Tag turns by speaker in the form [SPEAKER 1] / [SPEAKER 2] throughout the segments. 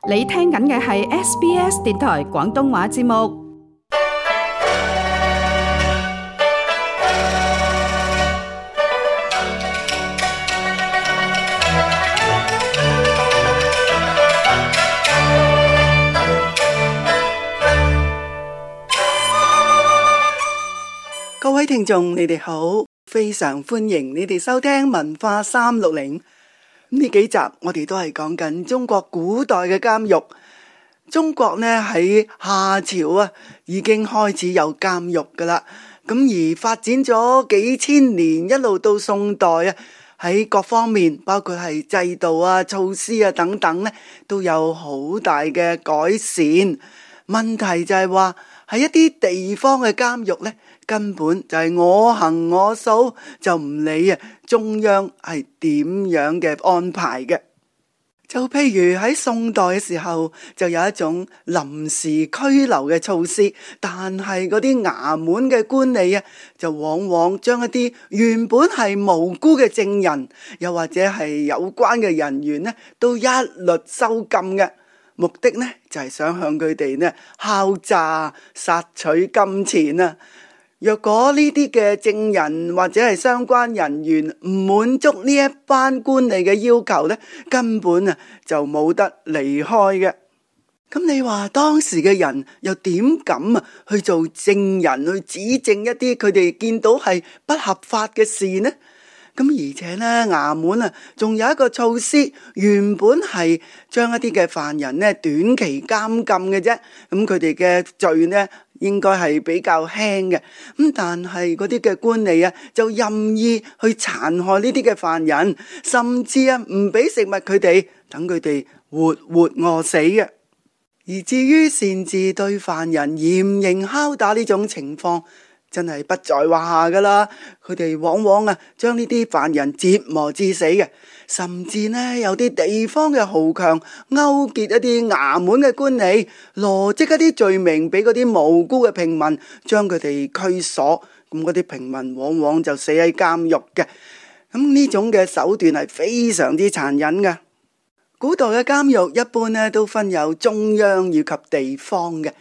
[SPEAKER 1] 你聽緊嘅係 SBS 電台廣東話節目。
[SPEAKER 2] 各位聽眾，你哋好，非常歡迎你哋收聽文化360。呢幾集我哋都係講緊中國古代嘅監獄。中國呢喺夏朝啊已經開始有監獄噶啦，咁而發展咗幾千年，一路到宋代啊，喺各方面包括係制度啊、措施啊等等呢，都有好大嘅改善。問題就係話喺一啲地方嘅監獄呢，根本就係我行我素，就唔理啊中央係點樣嘅安排嘅。就譬如喺宋代嘅時候，就有一種臨時拘留嘅措施，但係嗰啲衙門嘅官吏啊，就往往將一啲原本係無辜嘅證人，又或者係有關嘅人員呢，都一律收禁嘅。目的呢，就係想向佢哋呢敲詐、索取金錢啊！若果呢啲嘅證人或者係相關人員唔滿足呢一班官吏嘅要求呢，根本啊就冇得離開嘅。咁你話當時嘅人又點敢啊去做證人，去指證一啲佢哋見到係不合法嘅事呢？咁而且呢，衙門啊仲有一個措施，原本係將一啲嘅犯人呢短期監禁嘅啫，咁佢哋嘅罪呢應該係比較輕嘅，咁但係嗰啲嘅官吏啊就任意去殘害呢啲嘅犯人，甚至啊唔俾食物佢哋，等佢哋活活餓死嘅。而至於擅自對犯人嚴刑拷打呢種情況，真係不在話下噶啦。佢哋往往啊將呢啲犯人折磨致死嘅，甚至呢有啲地方嘅豪強勾結一啲衙門嘅官吏，羅織一啲罪名俾嗰啲無辜嘅平民，將佢哋拘鎖。咁嗰啲平民往往就死喺監獄嘅。咁呢種嘅手段係非常之殘忍嘅。古代嘅監獄一般呢都分有中央以及地方嘅，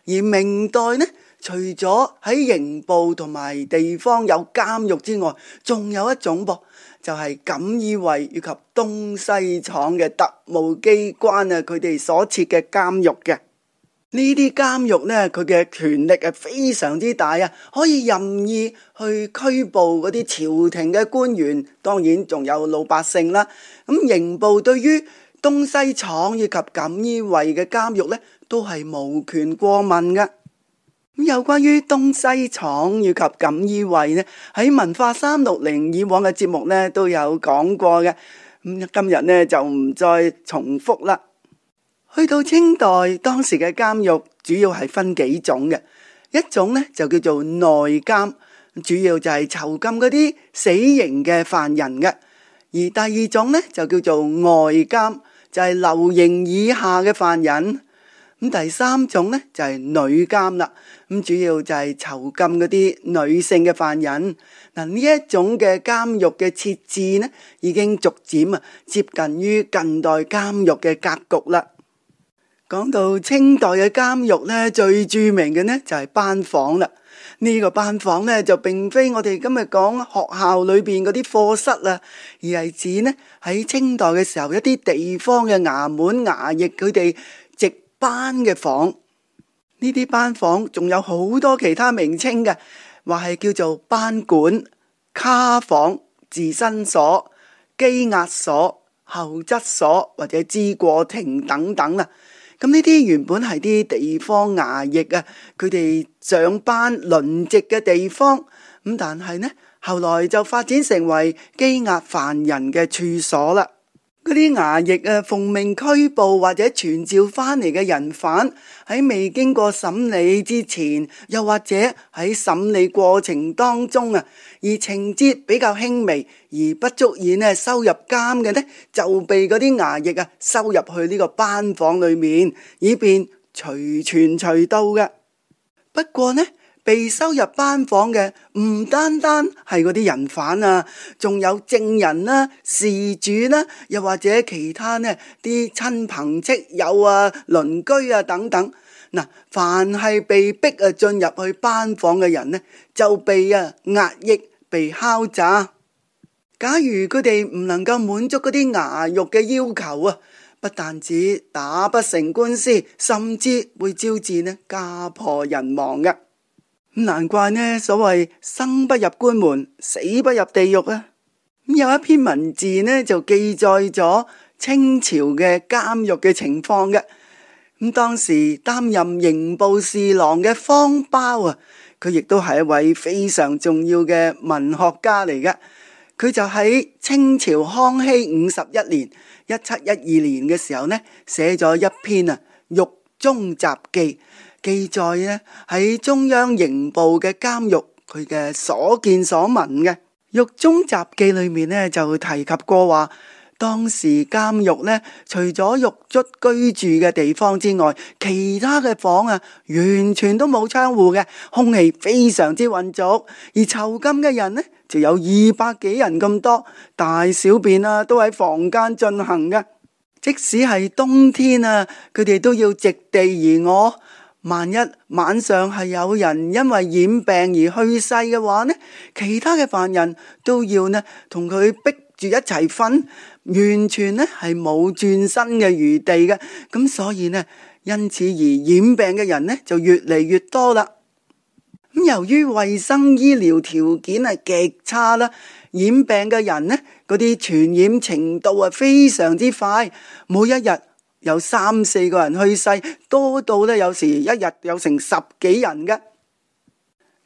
[SPEAKER 2] 而明代呢，除咗喺刑部同埋地方有監獄之外，仲有一種噃，就係錦衣衛以及東西廠嘅特務機關啊，佢哋所設嘅監獄嘅。呢啲監獄呢，佢嘅權力係非常之大啊，可以任意去拘捕嗰啲朝廷嘅官員，當然仲有老百姓啦。咁刑部對於東西廠以及錦衣衛嘅監獄呢，都係無權過問嘅。有關於東西廠以及錦衣衛呢，喺文化360以往嘅節目呢都有講過嘅。今日呢就唔再重複啦。去到清代，當時嘅監獄主要係分幾種嘅，一種呢就叫做內監，主要就係囚禁嗰啲死刑嘅犯人嘅；而第二種呢就叫做外監，就係留刑以下嘅犯人。咁第三種呢就係女監啦，咁主要就係囚禁嗰啲女性嘅犯人。嗱，呢一種嘅監獄嘅設置呢，已經逐漸接近於近代監獄嘅格局啦。講到清代嘅監獄呢，最著名嘅呢就係班房啦。呢個班房呢就並非我哋今日講學校裏邊嗰啲課室啦，而係指呢喺清代嘅時候一啲地方嘅衙門衙役佢哋值班嘅房。呢啲班房仲有好多其他名稱嘅，話係叫做班館、卡房、自申所、羈押所、候質所或者知過庭等等啦。咁呢啲原本係啲地方衙役啊，佢哋上班輪值嘅地方，咁但係呢，後來就發展成為羈押犯人嘅處所啦。嗰啲衙役啊，奉命拘捕或者傳召翻嚟嘅人犯，喺未經過審理之前，又或者喺審理過程當中啊，而情節比較輕微而不足以呢收入監嘅呢，就被嗰啲衙役啊收入去呢個班房裏面，以便隨傳隨到嘅。不過呢，被收入班房嘅唔單單係嗰啲人犯啊，仲有證人啦、事主啦，又或者其他呢啲親朋戚友啊、鄰居啊等等。嗱，凡係被逼進入去班房嘅人呢，就被壓抑、被敲詐。假如佢哋唔能夠滿足嗰啲牙肉嘅要求啊，不但止打不成官司，甚至會招致呢家破人亡嘅。難怪呢所謂生不入官門，死不入地獄啊！有一篇文字呢就記載咗清朝嘅監獄嘅情況嘅。當時擔任刑部侍郎嘅方苞啊，佢亦都係一位非常重要嘅文學家嚟嘅。佢就喺清朝康熙51年1712年嘅時候呢，寫咗一篇獄中雜記，記載呢喺中央刑部嘅監獄佢嘅所見所聞嘅。獄中雜記裏面呢就提及過話，當時監獄呢除咗獄卒居住嘅地方之外，其他嘅房完全都冇窗戶嘅，空氣非常之渾濁，而囚禁嘅人呢就有200幾人咁多，大小便都喺房間進行嘅。即使係冬天佢哋都要席地而臥。萬一晚上係有人因為染病而去世嘅話呢，其他嘅犯人都要呢同佢逼住一齊瞓，完全呢係冇轉身嘅餘地嘅。咁所以呢，因此而染病嘅人呢就越嚟越多啦。由於衛生醫療條件係極差啦，染病嘅人呢嗰啲傳染程度非常之快，每一日有3-4個人去世，多到呢有時一日有成10幾人嘅。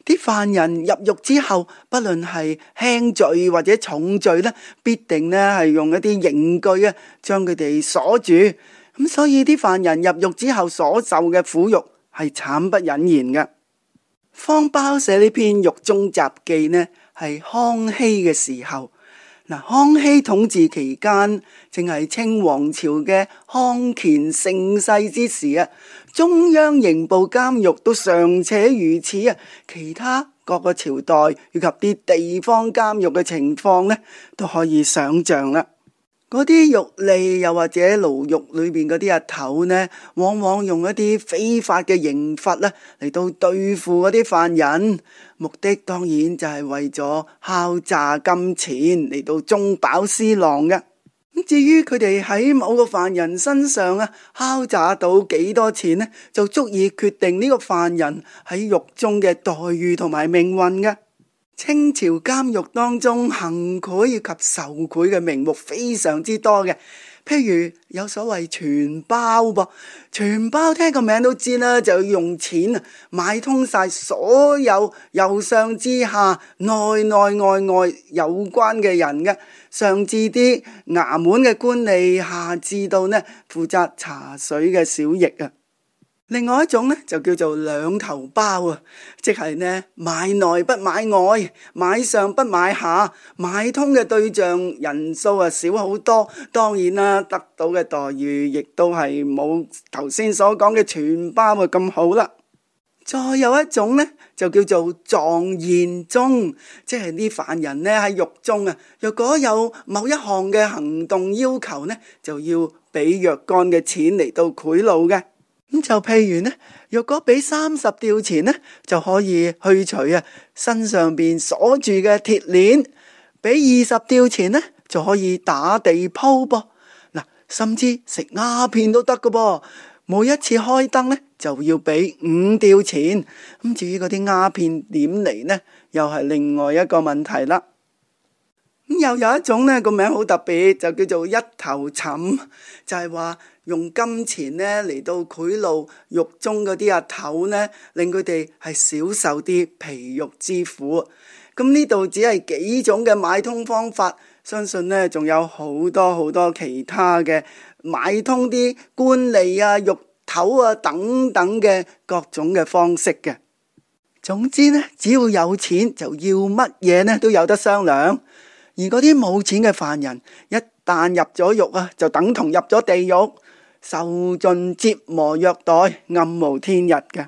[SPEAKER 2] 啲犯人入獄之後，不論係輕罪或者重罪呢，必定呢係用一啲刑具將佢哋鎖住。咁所以啲犯人入獄之後所受嘅苦辱係慘不忍言嘅。方苞寫呢篇獄中雜記呢，係康熙嘅時候。康熙統治期間，正係清王朝嘅康乾盛世之時中央刑部監獄都尚且如此其他各個朝代以及啲地方監獄嘅情況呢，都可以想象啦。嗰啲獄吏又或者牢獄裏面嗰啲阿頭呢，往往用一啲非法嘅刑罰嚟到對付嗰啲犯人，目的當然就係為咗敲詐金錢嚟到中飽私囊嘅。至於佢哋喺某個犯人身上敲詐到幾多錢呢，就足以決定呢個犯人喺獄中嘅待遇同埋命運嘅。清朝監獄當中行賄以及受賄嘅名目非常之多嘅，譬如有所謂傳包噃，傳包聽個名都知啦，就要用錢買通晒所有由上至下內內外外有關嘅人嘅，上至啲衙門嘅官吏，下至到呢負責茶水嘅小役另外一種呢就叫做兩頭包即係呢買內不買外，買上不買下，買通嘅對象人數少好多，當然啦，得到嘅待遇亦都係冇頭先所講嘅傳包咁好啦。再有一種呢就叫做狀言中，即係啲犯人呢喺獄中若果有某一項嘅行動要求呢，就要俾若干嘅錢嚟到賄賂嘅。咁就譬如呢，若果俾30吊錢呢，就可以去除身上邊鎖住嘅鐵鏈；俾20吊錢呢，就可以打地鋪噃。甚至食鴉片都得㗎噃。每一次開燈呢，就要俾5吊錢。咁至於嗰啲鴉片點嚟呢，又係另外一個問題啦。咁又有一種呢個名好特別，就叫做一頭尋，就係話用金錢呢嚟到賄賂獄中嗰啲阿頭呢，令佢哋係少受啲皮肉之苦。咁呢度只係幾種嘅買通方法，相信呢仲有好多好多其他嘅買通啲官吏獄頭等等嘅各種嘅方式嘅。總之呢，只要有錢就要乜嘢呢都有得商量。而嗰啲冇錢嘅犯人，一旦入咗獄就等同入咗地獄，受盡折磨虐待，暗無天日嘅。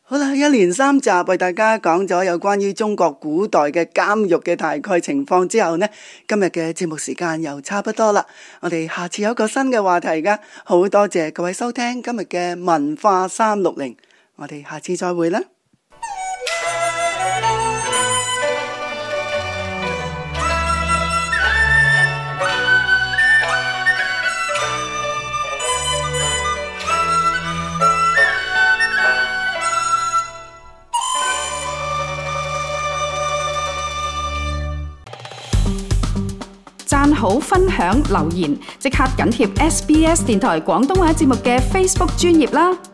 [SPEAKER 2] 好啦，一連3集為大家講咗有關於中國古代嘅監獄嘅大概情況之後呢，今日嘅節目時間又差不多啦。我哋下次有一個新嘅話題㗎，好多謝各位收聽今日嘅文化360，我哋下次再會啦。
[SPEAKER 1] 讚好、分享、留言，即刻緊貼SBS 電台廣東話節目嘅 Facebook 專頁啦！